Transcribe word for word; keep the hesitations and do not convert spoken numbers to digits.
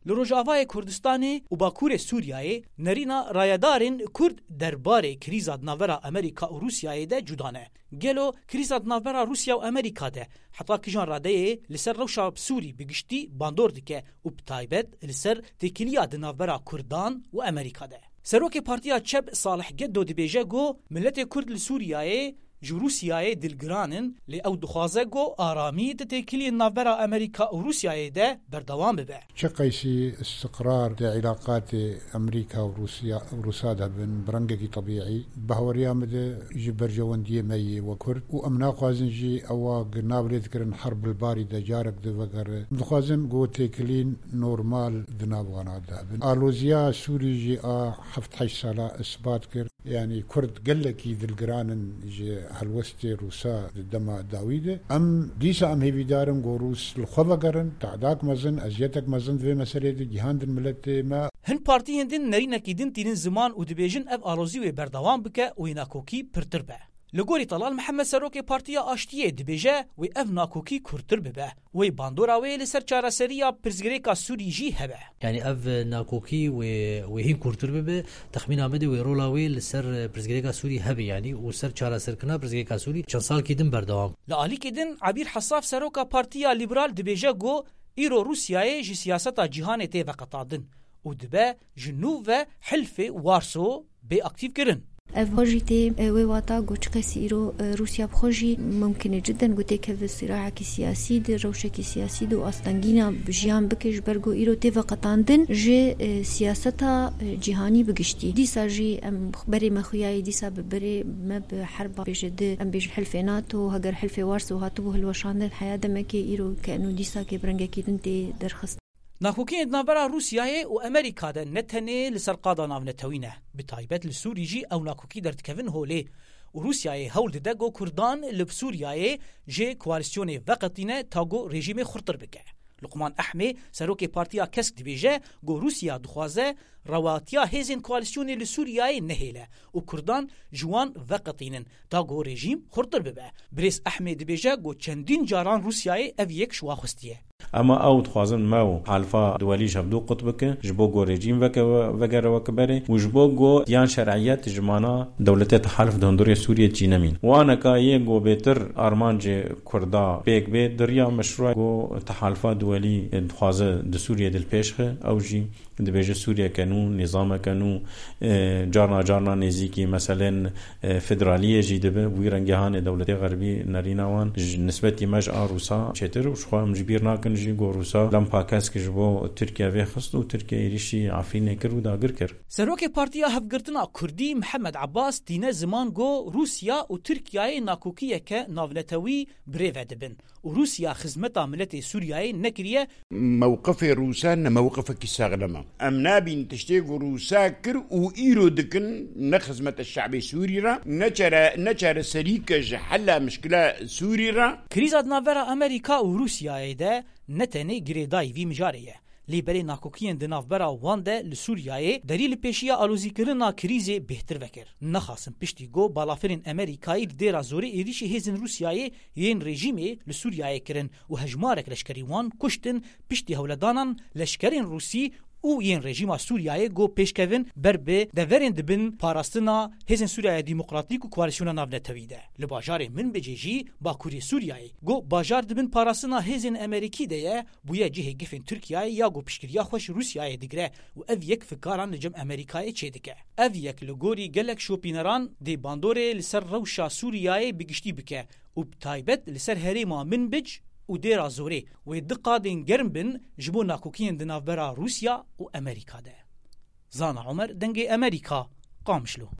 Li Rojavayê Kurdistanê û Bakurê Sûriyeyê nerîna rayedarên Kurd derbarê krîza di navbera Amerîka û Rûsyayê de cuda ne. Gelo krîza di navbera Rûsya û Amerîka de heta kijan radeyê li ser rewşa Sûrî bi giştî bandor dike û bi taybet li ser têkiliya di navbera Kurdan û Amerîka de? Serokê Partiya Çep Salih Geddo dibêje ku miletê Kurd li Sûriyeyê ji Rûsyayê dilgiran in, lê ew dixwaze ku aramî di têkiliyên navbera Amerîka û Rûsyayê de berdewam bibe. Çi qeysî istiqrar di îlaqatê Amerîka û Rûsya, Rûsa de bin, bi rengekî tebîî, bahweriya min de ji berjewendiyê me yê we Kurd û em naxwazin jî ewa gi nav lê dikirin herb li barî de carek di vegere. Em dixwazin ku têkilîn normal di nav wana de bin. Aloziya Sûrî jî a heft heşt sala isbat kir. Yanî Kurd gelekî dilgiran in ji helwestê Rûsa di dema dawî de. Em dîsa em hêvîdar in ku Rûs li xwe vegerin, te'dak mezin, eziyetek mezin di vê meseleyê de gihandin miletê me. Hin partiyên din nerînekî din tînin ziman û dibêjin ev alozî wê berdewam bike û wê nakokî pirtir be. Li gorî Telal Mihemed serokê Partiya Aştiyê dibêje wê ev nakokî kûrtir bibe. Wê bandora wê li ser çareseriya pirsgirêka Sûrî jî hebe. Yanî ev nakokî wê, wê hîn kûrtir bibe. Texmîna min de wê rola wê li ser pirsgirêka Sûrî hebe yanî û ser çareserkirina pirsgirêka Sûrî çend salkî din berdewam. Li alîkî din Ebîr Hesaf seroka Partiya Lîberal dibêje ku îro Rûsyayê ji siyaseta cîhanê tê veqetandin û dibe ji nû ve Hilfê Warso bê aktîfkirin. Ev xwe jî tê, e, wê wata ku çiqasî îro, e, Rûsya bi xwe jî mumkin e cidden ku têkeve sirahekî siyasî de, rewşekî siyasî de û astengîna jiyan bike, ji ber ku îro tê veqetandin ji, e, siyaseta, e, cîhanî bi giştî. Dîsa jî em berê me xuyayî dîsa bi berê me bi herba bêje di, em bêjin hilfê nato, heger hilfê Warso hatibû hilweşandin heya demekê îro ke eno dîsa kê bi rengekî din tê derxist. Nakokiyên di navbera Rûsyayê û Amerîka de ne tenê li ser qada navnetewî ne. Bi taybet li Sûrî jî ew nakokî derdikevin holê û Rûsyayê hewl dide ku Kurdan li Sûriyayê ji koalîsyonê veqetîne ta ku rejîmê xurtir bike. Luqman Ehmê, serokê Partiya Kesk dibêje ku Rûsya dixwaze rewatiya hêzên koalîsyonê li Sûriyayê nehêle û Kurdan ji wan veqetînin ta ku rejîm xurtir bibe. Birêz Ehmê dibêje ku çendîn caran Rûsyayê ev yek ji wan xwestiye. Ema ew dixwazin me û halifa duwelî ji hevdû qut bike, ji bo ku rejîm veke-, vegere wekî berê û ji bo ku yan şer'iyet ji mana dewletê tehalif di hundirê Sûriyê çî nemîn. Waneka yê ku bêtir armancê Kurda pêk bê, di riya meşrûa ku tehalifa duwelî dixwaze di Sûriyê de li pêş xe, ew jî dibêje Sûriyeke nû, nîzameke nû, e, carna carna nêzîkî meselên, e, federaliyê jî dibe. Wî rengê hanê dewletê xerbî nerîna wan ji nisbetî me ji a Rûsa çêtir û ji xwe em ji bîr nakin jî ku Rûsa lempa kesk ji bo Tirkiye vêxist û Tirkiye êrîşî Efrînê kir û dagir kir. Serokê Partiya Hevgirtina Kurdî Mihemed Abbas tîne ziman ku Rûsya û Tirkiyeyê nakokiyeke navnetewî birêve dibin û Rûsya xizmeta miletê Sûriyeyê nekiriye. Mewqifê Rûsa ne mewqifekî saxlem e. Em nabîn tiştê ku Rûsa kir û îro dikin ne xizmeta şe'bê Sûrî re, ne çare-, ne çareserîke ji hela mişkila Sûrî re. Krîza di navbera Amerîka û Rûsyayê de ne tenê girêdayî vî mijarê ye. Lê berê nakokiyên di navbera wan de li Sûriyeyê derî li pêşiya alozîkirina krîzê bêhtir vekir. Nexasin piştî ku balafirên Amerîkayî li dêra zorê êrîşî hêzên Rûsyayê yên rejîmê li Sûriyeyê kirin û hejmarek leşkerî wan kuştin, piştî hewledanan leşkerên Rûsî û yên rejîma Sûriyeyê ku pêşkevin ber bi deverên dibin parastina Hêzên Sûriyeya Demokratîk û Koalîsyona Navnetewî de. Li bajarê Minbicê jî, bakurê Sûriyeyê, ku bajar dibin parastina hêzên Amerîkî de ye, bûye cihê gefên Tirkiyeyê ya ku piştgiriya xwe ji Rûsyayê digire û ev yek fikaran li cem Amerîkayê çêdike. Ev yek li gorî gelek şopîneran dê bandorê li ser rewşa Sûriyeyê bi giştî bike û bi taybet li ser herêma Minbic û Dêra Zorê wê du qadên germ bin ji bo nakokiyên di navbera Rûsya û Amerîka de. Zana Omer, Dengê Amerîka, Qamişlo.